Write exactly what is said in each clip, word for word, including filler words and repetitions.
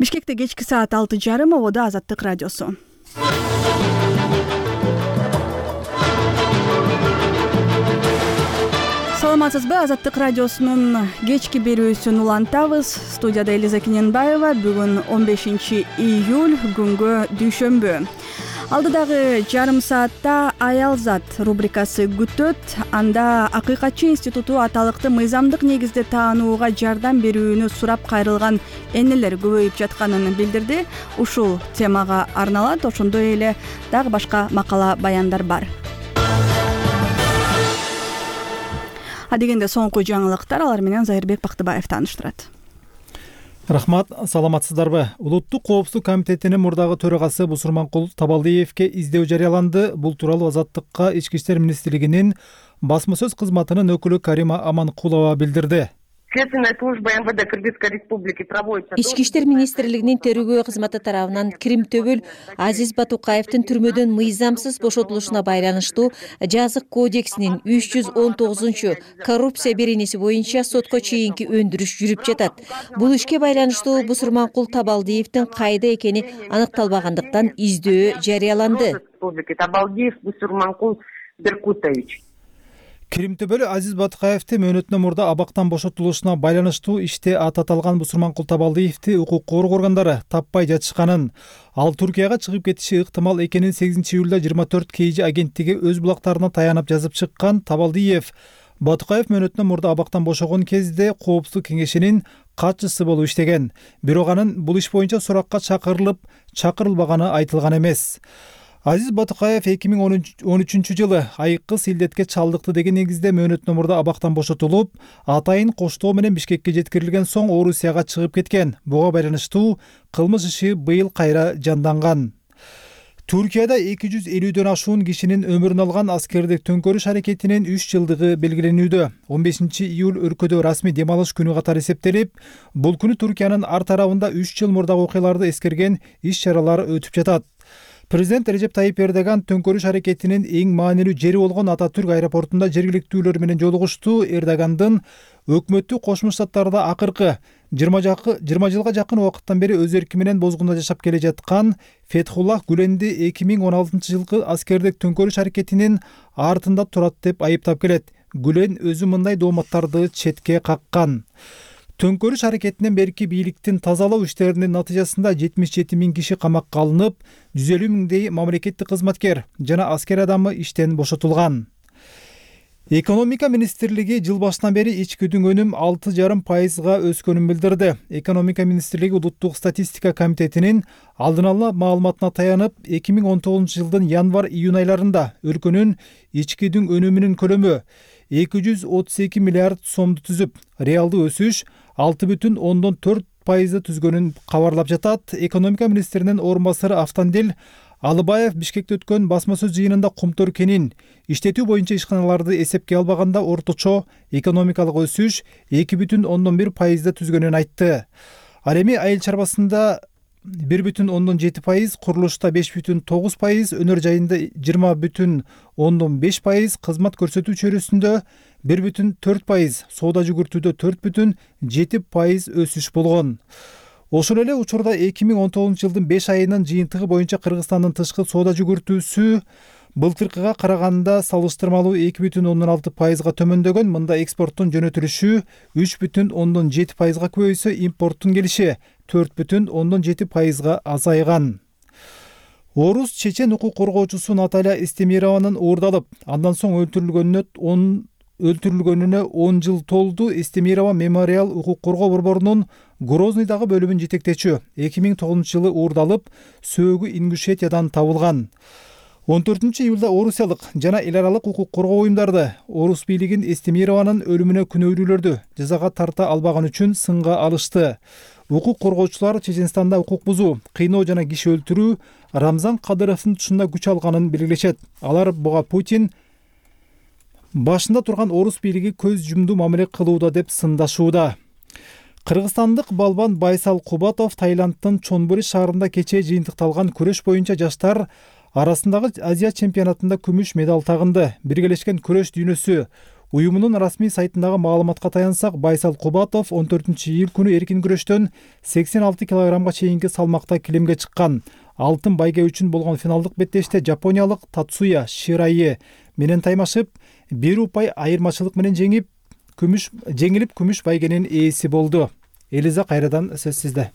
Бишкекте кечки саат алты жарым, ободо Азаттык радиосу. Саламатсызбы? Азаттык радиосунун кечки берүүсүн улантабыз. Студияда Элиза Кененбаева. Бүгүн он бешинчи июль, күнгө дүйшөмбү. Алдыдагы жарым саатта Аялзат рубрикасы күтөт. Анда Акыйкатчы институту аталыкты мыйзамдык негизде таанууга жардам берүүнү сурап кайрылган энелер көбөйүп жатканын билдирди. Ушул темага арналат. Ошондой эле дагы башка макала баяндар бар. Адегенде соңку жаңылыктар, алар менен Зайырбек Бактыбаев тааныштырат. Рахмат, саламатсыздарбы? Улуттук коопсуздук комитетинин мурдагы төрагасы Бусурманкул Табалдиевке издөө жарыяланды. Бул тууралуу Азаттыкка Ички иштер министрлигинин басма сөз кызматынын өкүлү Карима Аманкулова билдирди. Следственная служба МВД Кыргызской республики проводится. Ички иштер министрлигинин тергөө кызматы тарабынан Кримтөбөл Азиз Батукаевдин түрмөдөн мыйзамсыз бошотулушуна байланыштуу жазык кодексинин үч жүз он тогузунчу коррупция беренеси боюнча сотко чейинки өндүрүш жүрүп жатат. Бул ишке байланыштуу Бусурманкул Табалдиевдин кайда экени аныкталбагандыктан издөө жарыяланды. Республики Табалдиев Бусурманкул Беркутович. Кримтөбөл Азиз Батукаевди мөөнөтүнөн мурда абактан бошотулушуна байланыштуу иште ат аталган Бусурманкул Табалдиевди укук коргоо органдары таппай жатышканын, ал Туркияга чыгып кетиши ыктымал экенин сегизинчи июлда жыйырма төрт кей жи агенттиги өз булактарына таянып жазып чыккан. Табалдиев Батукаев мөөнөтүнөн мурда абактан бошогон кезде Коопсуздук кеңешинин катчысы болуп иштеген. Бирок анын бул иш боюнча суракка чакырылып, чакырылбаганы айтылган эмес. Азиз Батукаев эки миң он үчүнчү жылы айыккы силдетке чалдыкты деген негизде мөөнөтүнөн мурда абактан бошотулуп, атайын коштоо менен Бишкекке жеткирилген соң Орусияга чыгып кеткен. Буга байланыштуу кылмыш иши быйыл кайра жанданган. Түркияда эки жүз элүүдөн ашуун кишинин өмүрүн алган аскердик төңкөрүш аракетинин үч жылдыгы белгиленүүдө. он бешинчи июль өлкөдө расмий дем алыш күнү катары эсептелип, бул күнү Түркиянын ар тарабында үч жыл мурдагы окуяларды эскерген иш-чаралар өтүп жатат. Президент Режеп Тайип Эрдоган төңкөрүш аракетинин эң маанилүү жери болгон Ататүрк аэропортунда жергиликтүүлөр менен жолугушту. Эрдогандын өкмөттү Кошмо Штаттарда акыркы жыйырма жылга жакын убакыттан бери өз эрки менен бозгунда жашап келе жаткан Фетхуллах Гүленди эки миң он алтынчы жылкы аскердик төңкөрүш аракетинин артында турат деп айыптап келет. Гүлен өзү мындай дооматтарды четке каккан. Төңкөрүш аракетинен берки бийликтин тазалоо иштеринин натыйжасында жетимиш жети миң киши камакка алынып, жүз элүү миңдей мамлекеттик кызматкер жана аскер адамы иштен бошотулган. Экономика министрлиги жыл башынан бери ичкүдүн өнүм алты жарым пайызга өскөнүн билдирди. Экономика министрлиги Улуттук статистика комитетинин алдын ала маалыматына таянып, эки миң он тогузунчу жылдын январь-июнь айларында өлкөнүн ичкүдүн өнүмүнүн көлөмү эки жүз отуз эки миллиард сомду түзүп, реалдуу өсүш алты бүтүн ондон төрт пайызды түзгөнүн кабарлап жатат. Экономика министринин орун басары Автандил Алыбаев Бишкекте өткөн басма сөз жыйынында Кумтөр кенин иштетүү боюнча ишканаларды эсепке албаганда орточо экономикалык өсүш эки бүтүн ондон бир пайызды түзгөнүн айтты. Ал эми айыл чарбасында бир бүтүн ондон жети пайыз, курулушта беш бүтүн тогуз пайыз, өнөр жайында жыйырма бүтүн ондон беш пайыз, кызмат көрсөтүү чөйрөсүндө бир бүтүн төрт пайыз, соода жүгүртүүдө төрт бүтүн жети пайыз өсүш болгон. Ошол эле учурда эки миң он тогузунчу жылдын беш айынын жыйынтыгы боюнча Кыргызстандын тышкы соода жүгүртүүсү былтыркыга караганда салыштырмалуу эки бүтүн ондон алты пайызга төмөндөгөн. Мында экспорттун жөнөтүлүшү үч бүтүн ондон жети пайызга көбөйсө, импорттун келиши төрт бүтүн ондон жети пайызга азайган. Орус чечен укук коргоочусу Наталья Эстемированын уурдалып, андан соң өлтүрүлгөнүнө он өлтүрүлгөнүнө он жыл толду. Эстемирова мемориал укук коргоо борборунун Грознойдагы бөлүмүн жетектечү. эки миң тогузунчу жылы уурдалып, сөөгү Ингушетиядан табылган. он төртүнчү июлда орусиялык жана эл аралык укук коргоо уюмдарды Орус бийлигин Эстемированын өлүмүнө күнөөлүүлөрдү жазага тарта албаган үчүн сынга алышты. Укук коргоочулар Чеченстанда укук бузуу, кыйноо жана киши өлтүрүү Рамзан Кадыровдун тушунда күч алганын белгилешет. Алар буга Путин башында турган орус бийлиги көз жумду мамиле кылууда деп сындашууда. Кыргызстандык балбан Байсал Кубатов Таиланддын Чонбури шаарында кечээ жыйынтыкталган күрөш боюнча жаштар арасындагы Азия чемпионатында күмүш медаль тагынды. Биргелешкен күрөш дүйнөсү Уюмунун расмий сайтындагы маалыматка таянсак, Байсал Кубатов он төртүнчү июль күнү эркин күрөштөн сексен алты килограммга чейинки салмакта килемге чыккан. Алтын байге үчүн болгон финалдык беттеште жапониялык Татсуя Ширайе менен таймашып, бир упай айырмачылык менен жеңип, күмүш жеңилип күмүш байгенин ээси болду. Элиза, кайрадан сөз сизде.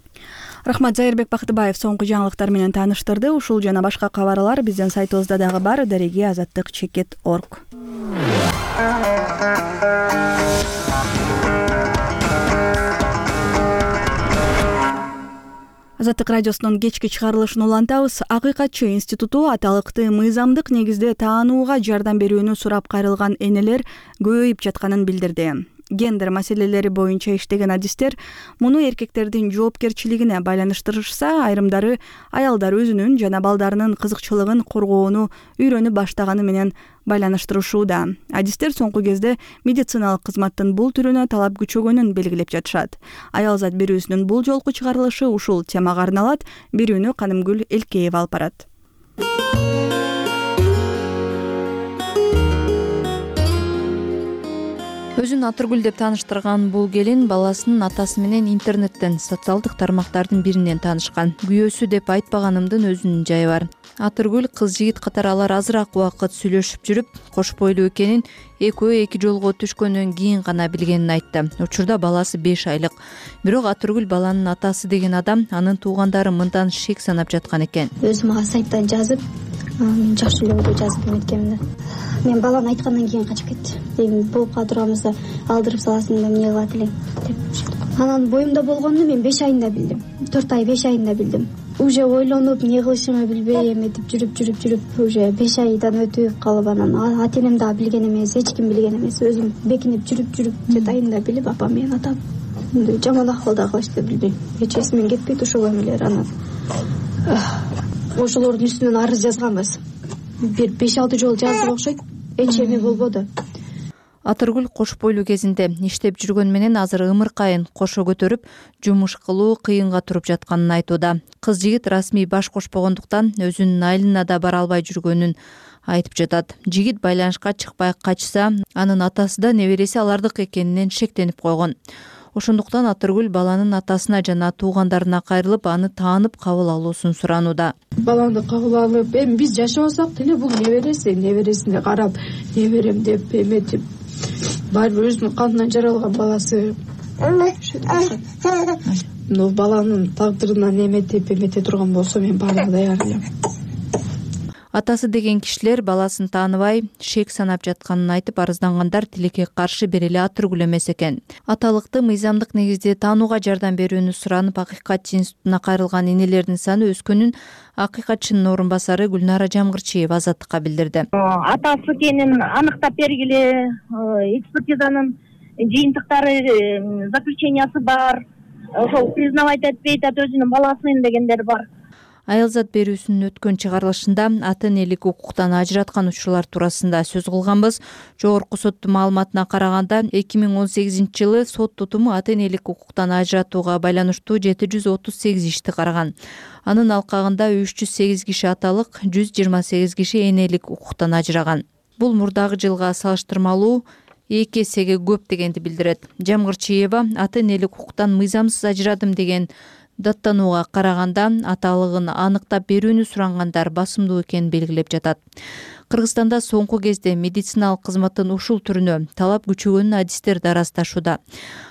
Рахмат. Зайырбек Бактыбаев соңку жаңылыктар менен тааныштырды. Ушул жана башка кабарлар биздин сайтыбызда дагы бар. Дареги азаттык чекит точка орг. Азаттык радиосунун кечки чыгарылышын улантабыз. Акыйкатчы институту аталыкты мыйзамдык негизде таанууга жардам берүүнү сурап кайрылган энелер көбөйүп жатканын билдирди. Гендер маселелери боюнча иштеген адистер муну эркектердин жоопкерчилигине байланыштырышса, айрымдары аялдар өзүнүн жана балдарынын кызыкчылыгын коргоону үйрөнүп баштаганы менен байланыштырышууда. Адистер соңку кезде медициналык кызматтын бул түрүнө талап күчөгөнүн белгилеп жатышат. Аял зат берүүсүнүн бул жолку чыгарылышы ушул темага арналат. Берүүнү Канымгүл Элкеева алып барат. Өзүн Атыргүл деп тааныштырган бул келин баласынын атасы менен интернеттен, социалдык тармактардын биринен таанышкан. Күйөөсү деп айтпаганымдын өзүнүн жайы бар. Атыргүл кыз жигит катары алар азыраак убакыт сүйлөшүп жүрүп, кош бойлуу экенин экөө эки жолго түшкөндөн кийин гана билгенин айтты. Учурда баласы беш айлык. Бирок Атыргүл баланын атасы деген адам анын туугандары мындан шек санап жаткан экен. Өзүм ага сайттан жазып, мен жакшы эле ойдо жазып эметкемин. Мен баланы айткандан кийин качып кетти. Эми болуп кала турганыбызда алдырып саласың да эмне кылат элең деп. Анан боюмда болгонду мен беш айында билдим. төрт ай беш айында билдим. Уже ойлонуп, эмне кылышымды билбей эметип жүрүп жүрүп жүрүп уже беш айдан өтүп калып, анан ата энем дагы билген эмес, эч ким билген эмес. Өзүм бекинип жүрүп жүрүп детайында билип, апам менен атам жаман акыбалда кылышты билбейм. Эч эсимен кетпейт ошол эмелер. Анан ошолордун үстүнөн арыз жазганбыз. Бир беш алты жолу жаздык окшойт. Эч эме болбоду. Атыргүл кош бойлуу кезинде иштеп жүргөн менен азыр ымыркайын кошо көтөрүп, жумуш кылуу кыйынга туруп жатканын айтууда. Кыз жигит расмий баш кошпогондуктан өзүнүн айылына да бара албай жүргөнүн айтып жатат. Жигит байланышка чыкпай качса, анын атасы да небереси алардык экенинен шектенип койгон. Ошондуктан Атыргүл баланын атасына жана туугандарына кайрылып, аны таанып кабыл алуусун суранууда. Баланы кабыл алып, эми биз жашабасак деле бул небереси, небересине карап, неберем деп эметип, баары өзүнүн канынан жаралган баласы. Но баланын тагдырынан эметип, эмете турган болсо мен баарына даяр элем. Атасы деген кишилер баласын тааныбай, шек санап жатканын айтып, арыздангандар тилекке каршы бери эле Атыргүл эмес экен. Аталыкты мыйзамдык негизде таанууга жардам берүүнү суранып, Акыйкатчы институтуна кайрылган энелердин саны өскөнүн акыйкатчынын орун басары Гүлнара Жамгырчиева Азаттыкка билдирди. Атасы экенин аныктап бергиле, экспертизанын жыйынтыктары, заключениясы бар. Ошол признавать этпейт, өзүнүн баласын дегендер бар. Аял зат берүүсүнүн өткөн чыгарылышында ата энелик укуктан ажыраткан учурлар туурасында сөз кылганбыз. Жогорку соттун маалыматына караганда, эки миң он сегизинчи жылы сот тутуму ата энелик укуктан ажыратууга байланыштуу жети жүз отуз сегиз ишти караган. Анын алкагында үч жүз сегиз киши аталык, жүз жыйырма сегиз киши энелик укуктан ажыраган. Бул мурдагы жылга салыштырмалуу эки эсеге көп дегенди билдирет. Жамгырчиева ата энелик укуктан мыйзамсыз ажырадым деген даттанууга караганда аталыгын аныктап берүүнү сурангандар басымдуу экенин белгилеп жатат. Кыргызстанда соңку кезде медициналык кызматтын ушул түрүнө талап күчөгөнүн адистер да ырасташууда.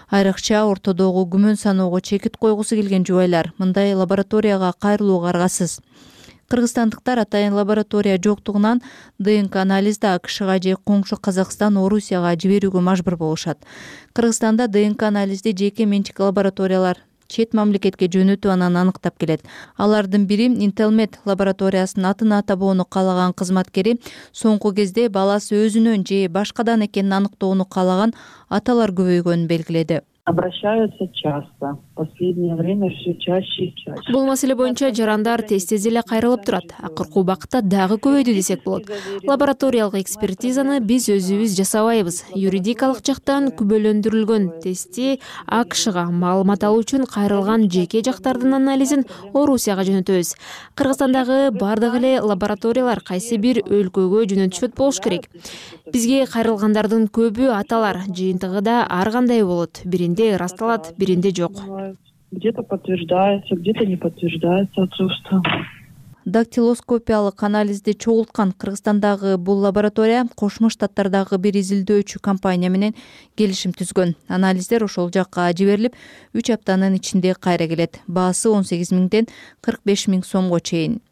Айрыкча ортодогу күмөн саноого чекит койгусу келген жубайлар мындай лабораторияга кайрылууга аргасыз. Кыргызстандыктар атайын лаборатория жоктугунан ДНК анализди АКШга же коңшу Казакстан, Орусияга жиберүүгө мажбур болушат. Кыргызстанда ДНК анализди жеке менчик лабораториялар чет мамлекетке жөнөтүп анан аныктап келет. Алардын бири Intelmed лабораториясынын атын атабоону каалаган кызматкери соңку кезде баласы өзүнөн же башкадан экенин аныктоону каалаган аталар көбөйгөнүн белгиледи. Обращаются часто. последнее время все чаще и чаще. Бул маселе боюнча жарандар тез тез эле кайрылып турат. Акыркы убакытта дагы көбөйдү десек болот. Лабораториялык экспертизаны биз өзүбүз жасабайбыз. Юридикалык жактан күбөлөндүрүлгөн тестти АКШга маалымат алуу үчүн кайрылган жеке жактардын анализин Орусияга жөнөтөбүз. Кыргызстандагы бардык эле лабораториялар кайсы бир өлкөгө жөнөтүшөт болуш керек. Бизге кайрылгандардын көбү аталар, жыйынтыгы да ар кандай болот. Биринде ырасталат, биринде жок. Где-то подтверждается, где-то не подтверждается отцовство. Дактилоскопиялык анализди чогулткан Кыргызстандагы бул лаборатория Кошмо Штаттардагы бир изилдөөчү компания менен келишим түзгөн. Анализдер ошол жакка жиберилип, үч аптанын ичинде кайра келет. Баасы он сегиз миңден кырк беш миң сомго чейин.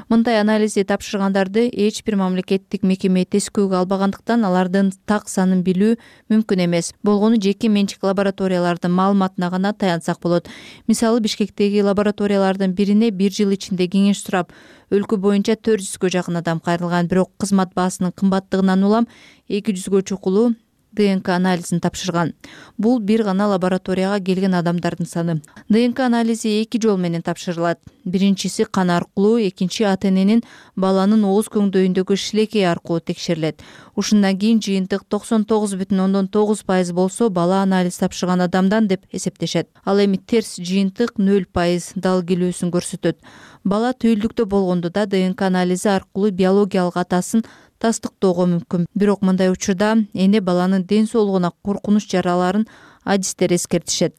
Мындай анализди тапшыргандарды эч бир мамлекеттик мекеме тескөөгө албагандыктан алардын так санын билүү мүмкүн эмес. Болгону жеке менчик лабораториялардын маалыматына гана таянсак болот. Мисалы, Бишкектеги лабораториялардын бирине бир жыл ичинде кеңеш сурап, өлкө боюнча төрт жүзгө жакын адам кайрылган, бирок кызмат баасынын кымбаттыгынан улам эки жүзгө чукулуу ДНК анализин тапшырган. Бул бир гана лабораторияга келген адамдардын саны. ДНК анализи эки жол менен тапшырылат. Биринчиси кан аркылуу, экинчи ата эненин баланын ооз көңдөйүндөгү шилекей аркылуу текшерилет. Ушундан кийин жыйынтык токсон тогуз бүтүн ондон тогуз пайыз болсо бала анализ тапшырган адамдан деп эсептешет. Ал эми терс жыйынтык нөл пайыз дал келүүсүн көрсөтөт. Бала түйүлдүктө болгондо да ДНК анализи аркылуу биологиялык атасын тастыктоого мүмкүн. Бирок мындай учурда эне баланын ден соолугуна коркунуч жараларын адистер эскертишет.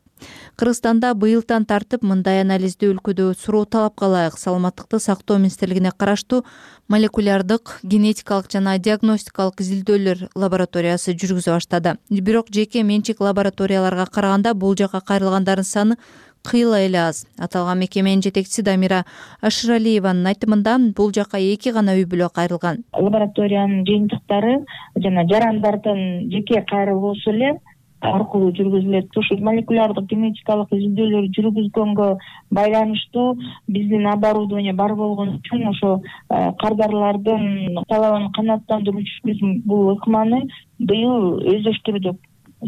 Кыргызстанда быйылдан тартып мындай анализди өлкөдө суроо талапка ылайык Саламаттыкты сактоо министрлигине караштуу молекулярдык, генетикалык жана диагностикалык изилдөөлөр лабораториясы жүргүзө баштады. Бирок жеке менчик лабораторияларга караганда бул жака кайрылгандардын саны кыйла эле аз. Аталган мекеменин жетекчиси Дамира Ашыралиеванын айтымында бул жака эки гана үй бүлө кайрылган. Лабораториянын жыйынтыктары жана жарандардын жеке кайрылуусу эле аркылуу жүргүзүлөт. Ушул молекулярдык генетикалык изилдөөлөр жүргүзгөнгө байланыштуу биздин оборудование бар болгон үчүн ошо кардарлардын талабын канааттандыруу үчүн бул ыкманы быйыл өздөштүрдүк.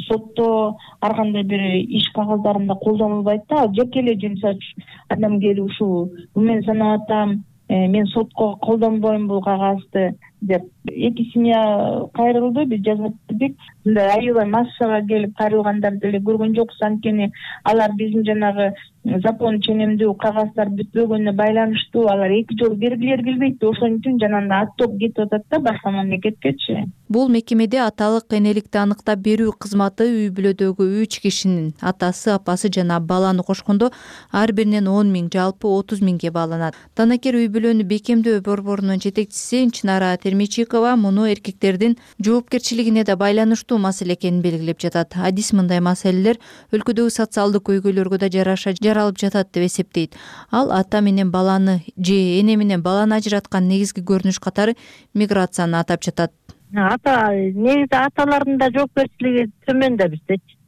Сотто ар кандай бир иш кагаздарында колдонулбайт да, жеке эле жумсач адам келип ушул мен санап атам, мен сотко колдонбойм бул кагазды деп. Эки семья кайрылды, биз жазып бердик. Мындай аябай массага келип кайрылгандар деле көргөн жокпуз, анткени алар биздин жанагы закон ченемдүү кагаздар бүтпөгөнүнө байланыштуу алар эки жол бергилери келбейт. Ошон үчүн жанагындай оттоп кетип атат да башка мамлекеткечи. Бул мекемеде аталык энеликти аныктап берүү кызматы үй бүлөдөгү үч кишинин атасы, апасы жана баланы кошкондо ар биринен он миң, жалпы отуз миңге бааланат. Данакер үй бүлөнү бекемдөө борборунун жетекчиси Чынара Термичикова муну эркектердин жоопкерчилигине да байланыштуу маселе экенин белгилеп жатат. Адис мындай маселелер өлкөдөгү социалдык көйгөйлөргө да жараша жаралып жатат деп эсептейт. Ал ата менен баланы же эне менен баланы ажыраткан негизги көрүнүш катары миграцияны атап жатат. Ата негизи аталардын да жоопкерчилиги төмөн да биздечи.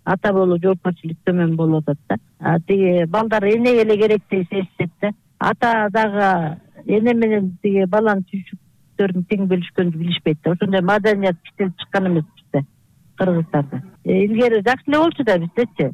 Ата болуу жоопкерчилик төмөн болуп атат да. Тиги балдар энеге эле керек деп сезишет да. Ата дагы эне менен тиги баланын түйшүктөрүн тең бөлүшкөндү билишпейт да. Ошондой маданият иштелип чыккан эмес бизде, Кыргызстанда. Илгери жакшы эле болчу да биздечи.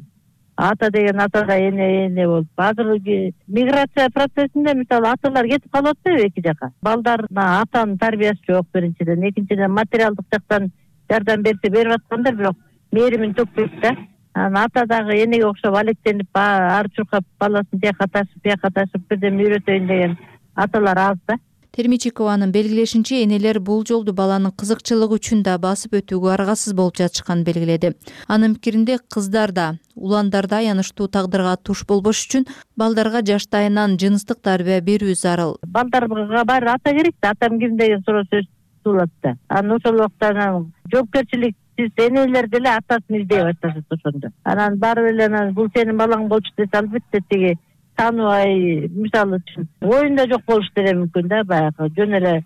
Ата деген ата да эне эне болуп. Азыр миграция процессинде мисалы аталар кетип калып атпайбы эки жака. Балдарына атанын тарбиясы жок биринчиден, экинчиден материалдык жактан жардам берсе берип аткандар, бирок мээримин төкпөйт да. Анан ата дагы энеге окшоп алектенип ар чуркап баласын тияка ташып, бияка ташып бирдеме үйрөтөйүн деген аталар аз да. Термичикованын белгилешинче, энелер бул жолду баланын кызыкчылыгы үчүн да басып өтүүгө аргасыз болуп жатышканын белгиледи. Анын пикиринде кыздар да, уландар да аянычтуу тагдырга туш болбош үчүн балдарга жаштайынан жыныстык тарбия берүү зарыл. Балдарга баары ата керек да, атам ким деген суроо сөз туулат да. Анан ошол убакта жоопкерчилик сиз энелер деле атасын издей башташат ошондо. Анан барып эле бул сенин балаң болчу десе албетте тиги тааныбай, мисалы үчүн оюнда жок болуш деле мүмкүн да, баягы жөн эле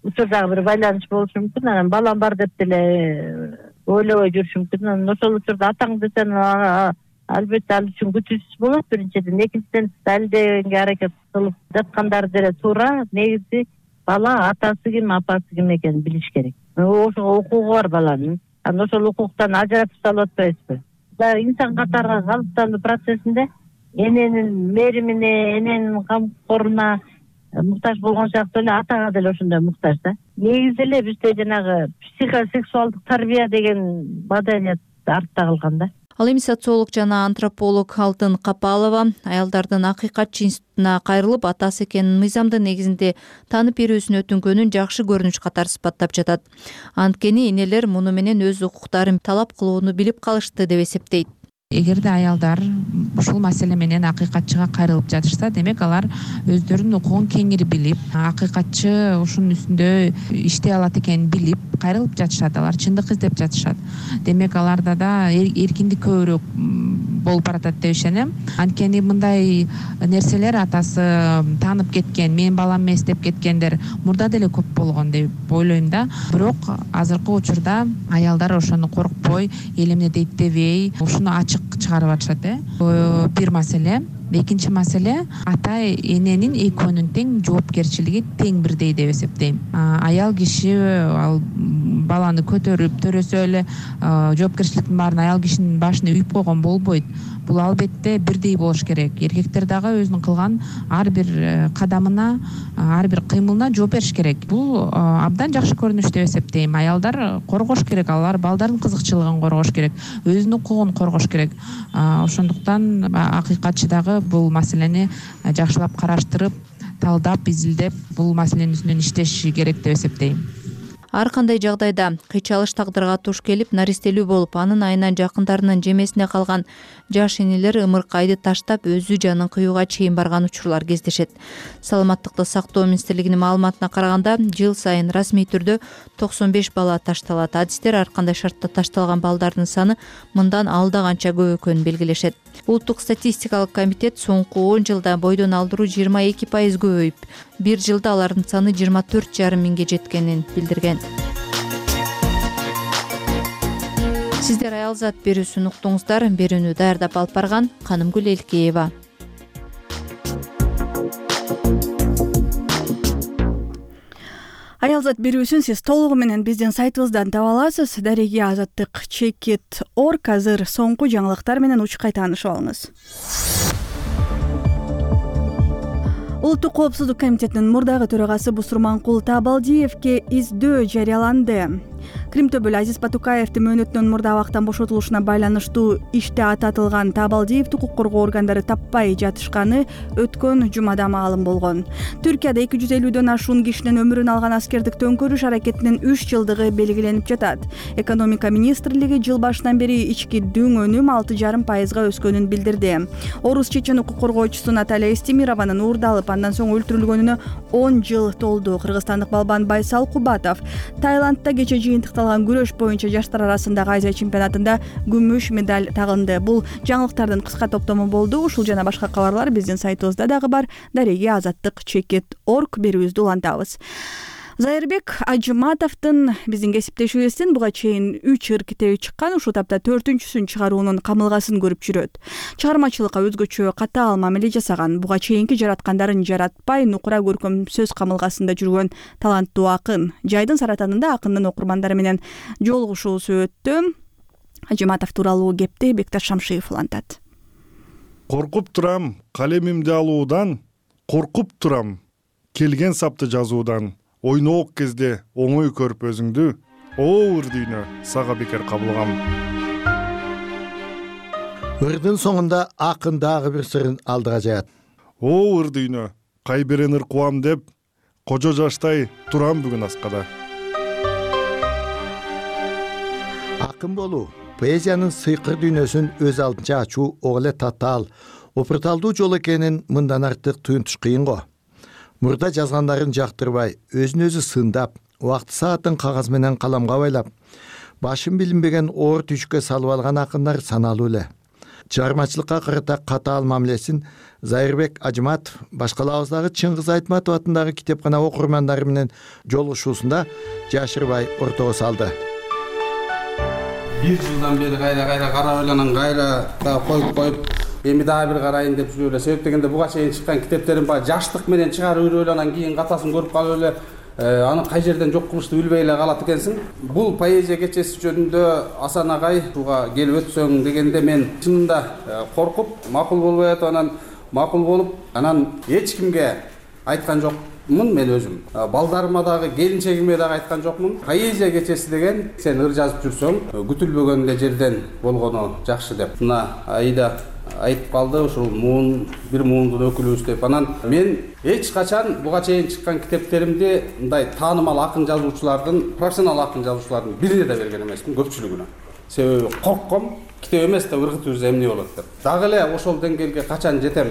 учурдагы бир байланыш болушу мүмкүн. Анан балам бар деп деле ойлобой жүрүшү мүмкүн. Анан ошол учурда атаң десең албетте ал үчүн күтүүсүз болот биринчиден. Экинчиден далилдегенге аракет кылып жаткандар деле туура. Негизи бала атасы ким, апасы ким экенин билиш керек. Ошого укугу бар баланын. Анан ошол укуктан ажыратып салып атпайбызбы? дагы инсан катары калыптануу процессинде эненин мээримине, эненин камкоруна муктаж болгон сыяктуу эле атага деле ошондой муктаж да. Негизи эле бизде жанагы психосексуалдык тарбия деген маданият артта калган да. Ал эми социолог жана антрополог Алтын Капалова аялдардын акыйкатчы институтуна кайрылып, атасы экенин мыйзамдын негизинде таанып берүүсүн өтүнгөнүн жакшы көрүнүш катары сыпаттап жатат. Анткени энелер муну менен өз укуктарын талап кылууну билип калышты деп эсептейт. Эгерде аялдар ушул маселе менен акыйкатчыга кайрылып жатышса, демек алар өздөрүнүн укугун кеңири билип, акыйкатчы ушунун үстүндө иштей алат экенин билип кайрылып жатышат, алар чындык издеп жатышат. Демек аларда да эркиндик көбүрөөк болуп баратат деп ишенем. Анткени мындай нерселер атасы таанып кеткен, менин балам эмес деп кеткендер мурда деле көп болгон деп ойлойм да. Бирок азыркы учурда аялдар ошону коркпой, эл эмне дейт дебей, ушуну ачык чыгарып атышат. Э бир маселе. Экинчи маселе, ата эненин экөөнүн тең жоопкерчилиги тең бирдей деп эсептейм. Аял киши ал баланы көтөрүп төрөсө эле жоопкерчиликтин баарын аял кишинин башына үйүп койгон болбойт. Бул албетте бирдей болуш керек. Эркектер дагы өзүнүн кылган ар бир кадамына, ар бир кыймылына жооп бериш керек. Бул абдан жакшы көрүнүш деп эсептейм. Аялдар коргош керек, алар балдардын кызыкчылыгын коргош керек, өзүнүн укугун коргош керек. Ошондуктан акыйкатчы дагы бул маселени жакшылап караштырып, талдап, изилдеп, бул маселенин үстүнөн иштеши керек деп эсептейм. Ар кандай жагдайда кыйчалыш тагдырга туш келип, наристелүү болуп, анын айынан жакындарынын жемесине калган жаш энелер ымыркайды таштап, өзү жанын кыюуга чейин барган учурлар кездешет. Саламаттыкты сактоо министрлигинин маалыматына караганда, жыл сайын расмий түрдө токсон беш бала ташталат. Адистер ар кандай шартта ташталган балдардын саны мындан алда канча көп экөнүн белгилешет. Улуттук статистикалык комитет соңку он жылда бойдон алдыруу жыйырма эки пайыз көбөйүп, бир жылда алардын саны жыйырма төрт жарым миңге жеткенин билдирген. Сиздер аял зат берүүсүн уктуңуздар. Берүүнү даярдап алып барган Канымгүл Элкеева. Аял зат берүүсүн сиз толугу менен биздин сайтыбыздан таба аласыз. Дареги азаттык чекит точка орг. Азыр соңку жаңылыктар менен учкай таанышып алыңыз. Улуттук коопсуздук комитетинин мурдагы төрагасы Бусурманкул Табалдиевке издөө жарыяланды. Кримтөбөл Азиз Батукаевдин мөөнөтүнөн мурда абактан бошотулушуна байланыштуу иште ататылган Табалдиевди укук коргоо органдары таппай жатышканы өткөн жумада маалым болгон. Түркияда эки жүз элүүдөн ашуун кишинин өмүрүн алган аскердик төңкөрүш аракетинин үч жылдыгы белгиленип жатат. Экономика министрлиги жыл башынан бери ички дүң өнүм алты жарым пайызга өскөнүн билдирди. Орус чечен укук коргоочусу Наталья Истемированын уурдалып, андан соң өлтүрүлгөнүнө он жыл толду. Кыргызстандык балбан Байсал Кубатов Таиландда кече жыйынтыкталган күрөш боюнча жаштар арасындагы Азия чемпионатында күмүш медаль тагынды. Бул жаңылыктардын кыска топтому болду. Ушул жана башка кабарлар биздин сайтыбызда дагы бар. Дареги азаттык чекит точка орг. Берүүбүздү улантабыз. Зайырбек Ажыматовдун биздин кесиптешибиздин буга чейин үч ыр китеби чыккан, ушул тапта төртүнчүсүн чыгаруунун камылгасын көрүп жүрөт. Чыгармачылыкка өзгөчө катаал мамиле жасаган, буга чейинки жараткандарын жаратпай, нукура көркөм сөз камылгасында жүргөн таланттуу акын. Жайдын саратанында акындын окурмандары менен жолугушуусу өттү. Ажыматов тууралуу кепти Бекташ Шамшиев улантат. Коркуп турам калемимди алуудан, коркуп турам келген сапты жазуудан. Ойноок кезде оңой көрүп өзүңдү, оор дүйнө сага бекер кабылгам. Ырдын соңунда акын дагы бир сырын алдыга жаят. Оор дүйнө, кайбирен ыркуам деп, кожо жаштай турам бүгүн аскада. Акын болуу, поэзиянын сыйкыр дүйнөсүн өз алдынча ачуу ок эле татаал, опурталдуу жол экенин мындан артык туюнтуш кыйын го. Мурда жазгандарын жактырбай, өзүн өзү сындап, убакты саатын кагаз менен каламга байлап, башын билинбеген оор түйшүккө салып алган акындар саналуу эле. Чыгармачылыкка карата катаал мамилесин Зайырбек Ажыматов башкалабыздагы Чыңгыз Айтматов атындагы китепкана окурмандары менен жолугушуусунда жашырбай ортого салды. Бир жылдан бери кайра-кайра карап эланан кайра дагы коюп коюп эми дагы бир карайын деп жүрүп эле. Себеп дегенде буга чейин чыккан китептерим баягы жаштык менен чыгарып жүрүп эле, анан кийин катасын көрүп калып эле аны кай жерден жок кылышты билбей эле калат экенсиң. Бул поэзия кечеси жөнүндө Асан агай буга келип өтсөң дегенде мен чынында коркуп, макул болбой атып, анан макул болуп, анан эч кимге айткан жокмун мен өзүм. Балдарыма дагы, келинчегиме дагы айткан жокмун. Поэзия кечеси деген сен ыр жазып жүрсөң, күтүлбөгөн эле жерден болгону жакшы деп. Мына Аида айтып калды, ушул муун бир муундун өкүлүбүз деп. Анан мен эч качан буга чейин чыккан китептеримди мындай таанымал акын жазуучулардын, профессионал акын жазуучулардын бирине да берген эмесмин, көпчүлүгүнө. Себеби коркком, китеп эмес да ыргытып жүрсө эмне болот деп. Дагы эле ошол деңгээлге качан жетем,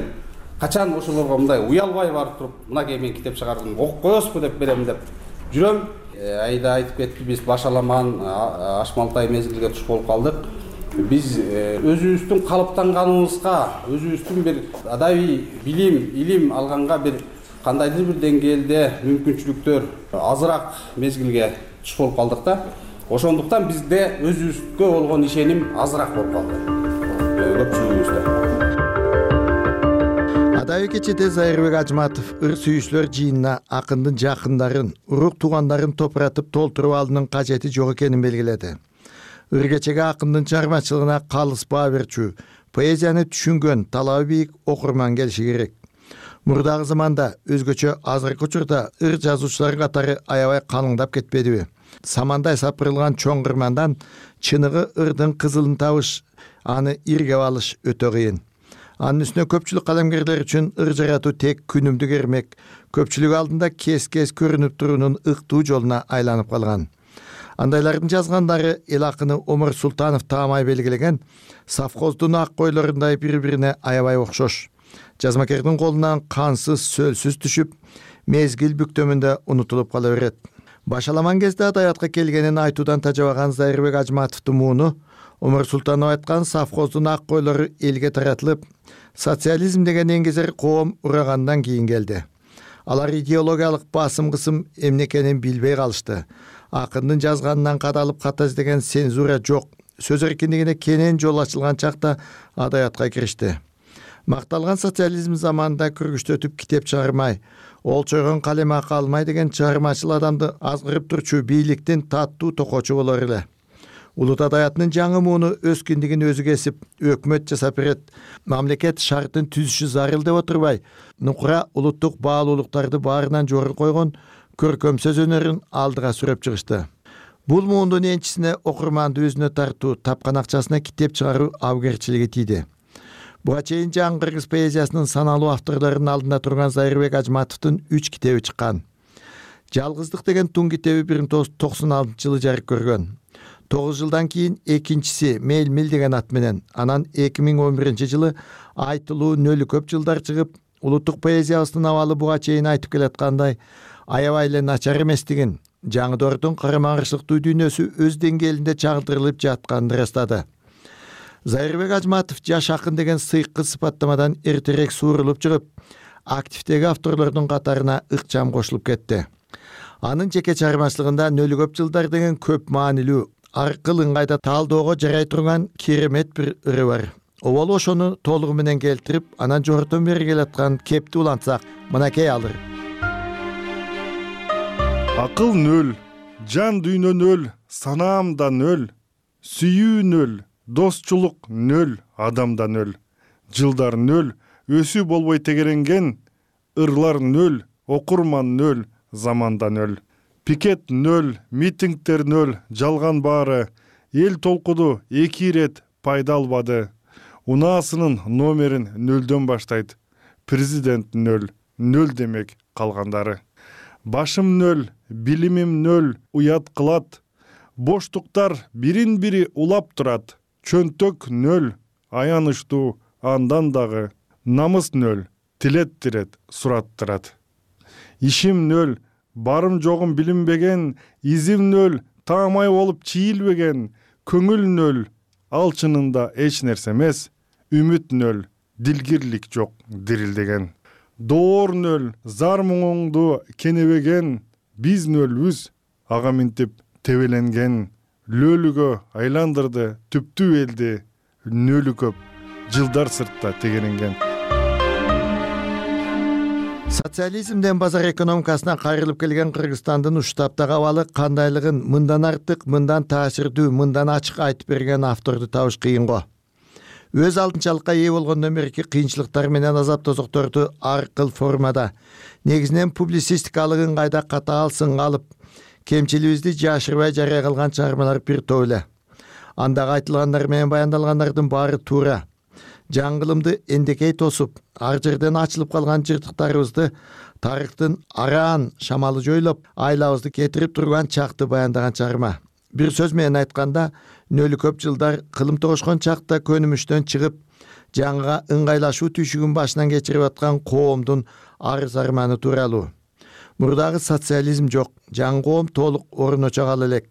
качан ошолорго мындай уялбай барып туруп, мынакей мен китеп чыгардым, окуп коесузбу деп берем деп жүрөм. Айда айтып кетти, биз Башаламан, Ашмалтай мезгилге туш болуп калдык. Биз өзүбүздүн калыптанганыбызга, өзүбүздүн бир адабий билим, илим алганга бир кандайдыр бир деңгээлде мүмкүнчүлүктөр азыраак мезгилге туш болуп калдык да. Ошондуктан бизде өзүбүзгө болгон ишеним азыраак болуп калды. Көпчүлүгүбүздө. Адабий кечеде Зайырбек Ажматов ыр сүйүүчүлөр жыйынына акындын жакындарын, урук туугандарын топуратып толтуруп алуунун кажети жок экенин белгиледи. Ыр кечеге акындын чыгармачылыгына калыс баа берчү, поэзияны түшүнгөн, талабы бийик окурман келиши керек. Мурдагы заманда өзгөчө азыркы учурда ыр жазуучулар катары аябай калыңдап кетпедиби? Самандай сапырылган чоң кырмандан чыныгы ырдын кызылын табыш, аны иргеп алыш өтө кыйын. Анын үстүнө көпчүлүк калемгерлер үчүн ыр жаратуу тек күнүмдүк эрмек, көпчүлүк алдында кес-кес көрүнүп туруунун ыктуу жолуна айланып калган. Андайлардын жазгандары эл акыны Омар Султанов таамай белгилеген совхоздун ак койлорундай бири-бирине аябай окшош. Жазмакердин колунан кансыз, сөлсүз түшүп, мезгил бүктөмүндө унутулуп кала берет. Башаламан кезде адабиятка келгенин айтуудан тажабаган Зайырбек Ажматовдун мууну Омар Султанов айткан совхоздун ак койлору элге таратылып, социализм деген эңгезер коом урагандан кийин келди. Алар идеологиялык басым-кысым эмне экенин билбей калышты. Акындын жазганынан кадалып ката издеген цензура жок, сөз эркиндигине кенен жол ачылган чакта адабиятка киришти. Макталган социализм заманында күргүчтөтүп китеп чыгармай, олчойгон калем акы алмай деген чыгармачыл адамды азгырып турчу бийликтин таттуу токочу болор эле. Улут адабиятынын жаңы мууну өз киндигин өзү кесип, өкмөт жасап берет, мамлекет шартын түзүшү зарыл деп отурбай, нукура улуттук баалуулуктарды баарынан жогору койгон көркөм сөз өнөрүн алдыга сүрөп чыгышты. Бул муундун энчисине окурманды өзүнө тартуу, тапкан акчасына китеп чыгаруу абгерчилиги тийди. Буга чейин жаңы кыргыз поэзиясынын саналуу авторлорунун алдында турган Зайырбек Ажматовдун үч китеби чыккан. Жалгыздык деген тун китеби бир миң тогуз жүз токсон алтынчы жылы жарык көргөн. тогуз жылдан кийин экинчиси Мел-мил деген ат менен, анан эки миң он биринчи жылы Айтылуу нөлү көп жылдар чыгып, улуттук поэзиябыздын абалы буга чейин айтып келаткандай аябай эле начар эместигин, жаңы доордун карама-каршылыктуу дүйнөсү өз деңгээлинде чагылдырылып жатканын ырастады. Зайырбек Ажматов жаш акын деген сыйкы сыпаттамадан эртерээк суурулуп чыгып, активдеги авторлордун катарына ыкчам кошулуп кетти. Анын жеке чыгармачылыгында нөлү көп жылдар деген көп маанилүү, аркыл ыңгайда таалоого жарай турган керемет бир ыры бар. Оболу ошону толугу менен келтирип, анан жогорудон бери келаткан кепти улантсак, мынакей алыр. Акыл нөл, жан дүйнө нөл, санаамда нөл, сүйүү нөл, досчулук нөл, адамда нөл, жылдар нөл, өсүү болбой тегеренген, ырлар нөл, окурман нөл, заманда нөл. Пикет нөл, митингдер нөл, жалган баары, эл толкуду эки ирет пайда албады. Унаасынын номерин нөлдөн баштайт. Президент нөл, нөл демек калгандары. Башым нөл, билимим нөл, уят кылат. Боштуктар бирин-бири улап турат. Чөнтөк нөл, аянычтуу, андан дагы. Намыс нөл, тилеттирет, сураттырат. Ишим нөл, барым жогум билинбеген, изим нөл, таамай болуп чийилбеген, көңүл нөл, ал чынында эч нерсе эмес, үмүт нөл, дилгирлик жок дирилдеген. Доор нөл, зар муңуңду кенебеген, биз нөлбүз, ага минтип тебеленген, лөлүгө айландырды түптүү элди, нөлү көп, жылдар сыртта тегеренген. Социализмден базар экономикасына кайрылып келген Кыргызстандын уштаптагы абалы кандайлыгын мындан артык, мындан таасирдүү, мындан ачык айтып берген авторду табыш кыйын го. Өз алтынчалыкка ээ болгондон берки кыйынчылыктар менен азап тозокторду ар кыл формада, негизинен публицистикалык ыңгайда катаал сынга алып, кемчилибизди жашырбай жарыя кылган чыгармалар бир топ эле. Андагы айтылгандар менен баяндалгандардын баары туура. Жаңгылымды эндекей тосуп, ар жерден ачылып калган жыртыктарыбызды тарыхтын араан шамалы жойлоп, айлабызды кетирип турган чакты баяндаган чыгарма. Бир сөз менен айтканда, нөлү көп жылдар кылым тогошкон чакта көнүмүштөн чыгып, жаңга ыңгайлашуу түйшүгүн башынан кечирип аткан коомдун арыз арманы тууралуу. Мурдагы социализм жок, жаңы коом толук орночо кала элек.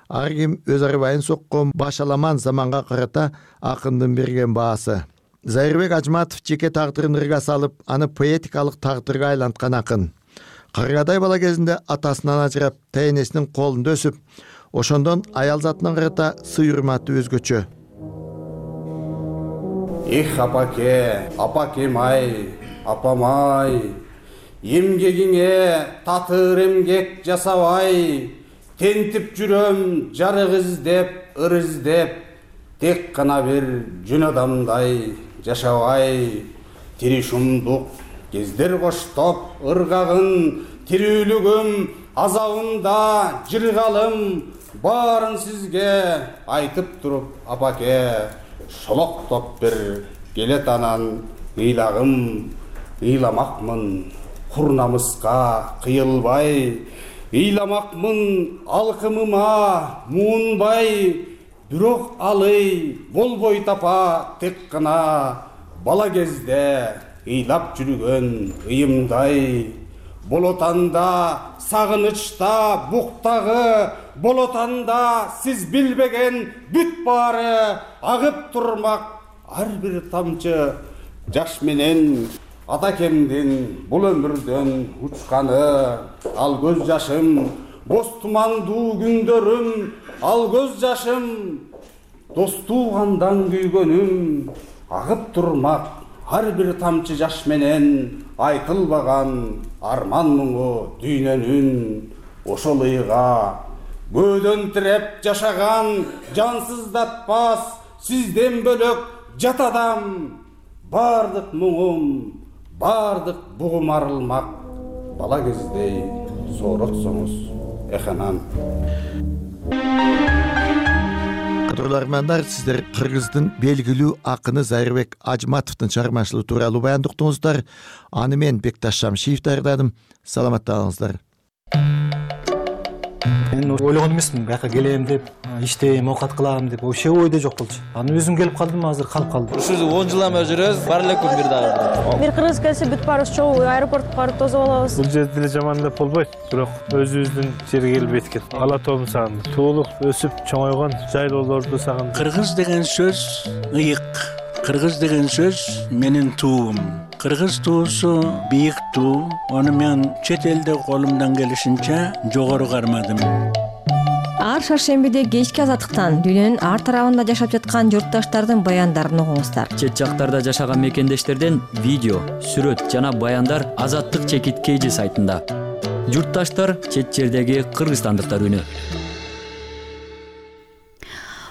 Ар ким өз арбайын соккон башаламан заманга карата акындын берген баасы. Зайырбек Ажматов жеке тагдырын ырга салып, аны поэтикалык тагдырга айланткан акын. Каргадай бала кезинде атасынан ажырап, тайнесинин колунда өсүп, ошондон аял затына карата сый урматы өзгөчө. Эх, апаке, апакем-ай, апам-ай, эмгегиңе татыр эмгек жасабай, тентип жүрөм жарык издеп, ыр издеп, тек гана бир жөн адамдай жашабай, тири шумдук кездер коштоп ыргагын, тирүүлүгүм азабында жыргалым, баарын сизге айтып туруп, апаке, шолоктоп бир келет анан ыйлагым, ыйламакмын хур намыска кыйылбай, ыйламакмын алкымыма муунбай, бирок алый болбой тапа тек гана бала кезде ыйлап жүргөн ыйымдай. Болотанда сагынычта буктагы, болотанда сиз билбеген бүт баары агып турмак ар бир тамчы жаш менен атакемдин бул өмүрдөн учканы. Ал көз жашым боз тумандуу күндөрүм, ал көз жашым достугандан күйгөнүм, агып турмак ар бир тамчы жаш менен айтылбаган арман муңу дүйнөнүн. Ошол ыйга көөдөн тиреп жашаган жансыздатпас сизден бөлөк жат адам. Бардык муңум, бардык бугум арылмак бала кездей сооротсоңуз эханан. Кадрлар армандар, сиздер Кыргыздын белгилүү акыны Зайырбек Ажматовдун чыгармачылыгы тууралуу баяндыктыңыздар. Аны мен Бекташ Шамшиев даярдадым. Саламаттаңыздар. Мен ойлогон эмесмин, бияка келем деп, иштейм, оокат кылам деп, вообще ойдо жок болчу. Аны өзүм келип калдым, азыр калып калдым. Ушул он жылдан бери жүрөбүз, бар элек күн бир дагы. Бир кыргыз келсе бүт баарыбыз чогуу аэропортко барып тосуп алабыз. Бул жерде эле жаман деп болбойт, бирок өзүбүздүн жерге келип эткил. Ала тообун сагындым. Туулук өсүп чоңойгон жайлоолорду сагындым. Кыргыз деген сөз ыйык. Кыргыз деген сөз менин туум. Кыргыз туусу бийик туу. Аны мен чет элде колумдан келишинче жогору кармадым. Ар шаршембиде кечки азаттыктан дүйнөнүн ар тарабында жашап жаткан журтташтардын баяндарын угуңуздар. Чет жактарда жашаган мекендештерден видео, сүрөт жана баяндар Азаттык чекит кейжи сайтында. Журтташтар чет жердеги кыргызстандыктар үнү.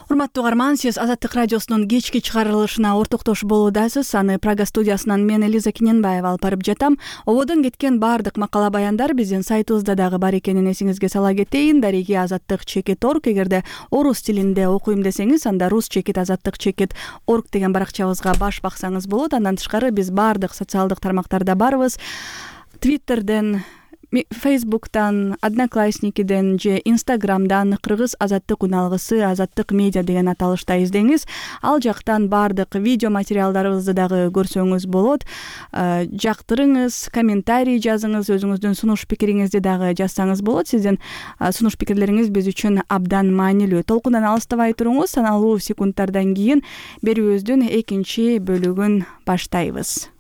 Урматтуу угарман, сиз Азаттык радиосунун кечки чыгарылышына ортоктош болуудасыз. Аны Прага студиясынан мен Элиза Киненбаева алып барып жатам. Ободон кеткен бардык макала баяндар биздин сайтыбызда дагы бар экенин эсиңизге сала кетейин. Дареги азаттык чекит орг. Эгерде орус тилинде окуйм десеңиз, анда рус чекит азаттык чекит орг деген баракчабызга баш баксаңыз болот. Андан тышкары биз бардык социалдык тармактарда барбыз. Твиттерден, Фейсбуктан, Одноклассникиден же Инстаграмдан Кыргыз азаттык уналгысы Азаттык медиа деген аталышта издеңиз. Ал жактан бардык видео материалдарыбызды дагы көрсөңүз болот. Жактырыңыз, комментарий жазыңыз, өзүңүздүн сунуш пикириңизди дагы жазсаңыз болот. Сиздин сунуш пикирлериңиз биз үчүн абдан маанилүү. Толкундан алыстабай туруңуз. Саналуу секундтардан кийин берүүбүздүн экинчи бөлүгүн баштайбыз.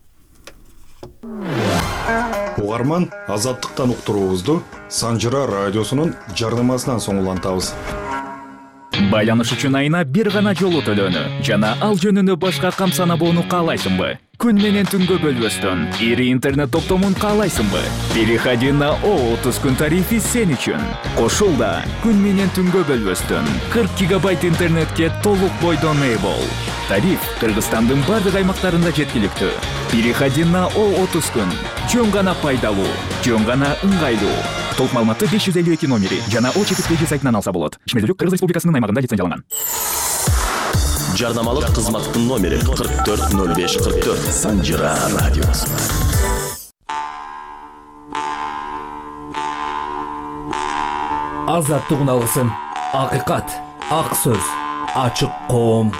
Угарман, Азаттыктан уктуруубузду Санжыра радиосунун жарнамасынан соң улантабыз. Байланыш үчүн айына бир гана жолу төлөнү жана ал жөнүндө башка кам санабоону каалайсыңбы? Күн менен түнгө бөлбөстөн ири интернет топтомун каалайсыңбы? Переходи на о отуз күн тарифи сен үчүн. Кошулда күн менен түнгө бөлбөстөн кырк гигабайт интернетке толук бойдон ээ бол. Тариф Кыргызстандын бардык аймактарында жеткиликтүү. Переходи на о отуз күн. Жөн гана пайдалуу, жөн гана ыңгайлуу. Толук маалыматты беш жүз элүү эки номери жана о четирги сайтынан алса болот. Ишмердүүлүк Кыргыз Республикасынын аймагында лицензияланган. Жарнамалык кызматтын номери кырк төрт ноль беш кырк төрт. Санжира радиосу. Азаттык уналгысын. Акыйкат, ак сөз, ачык коом.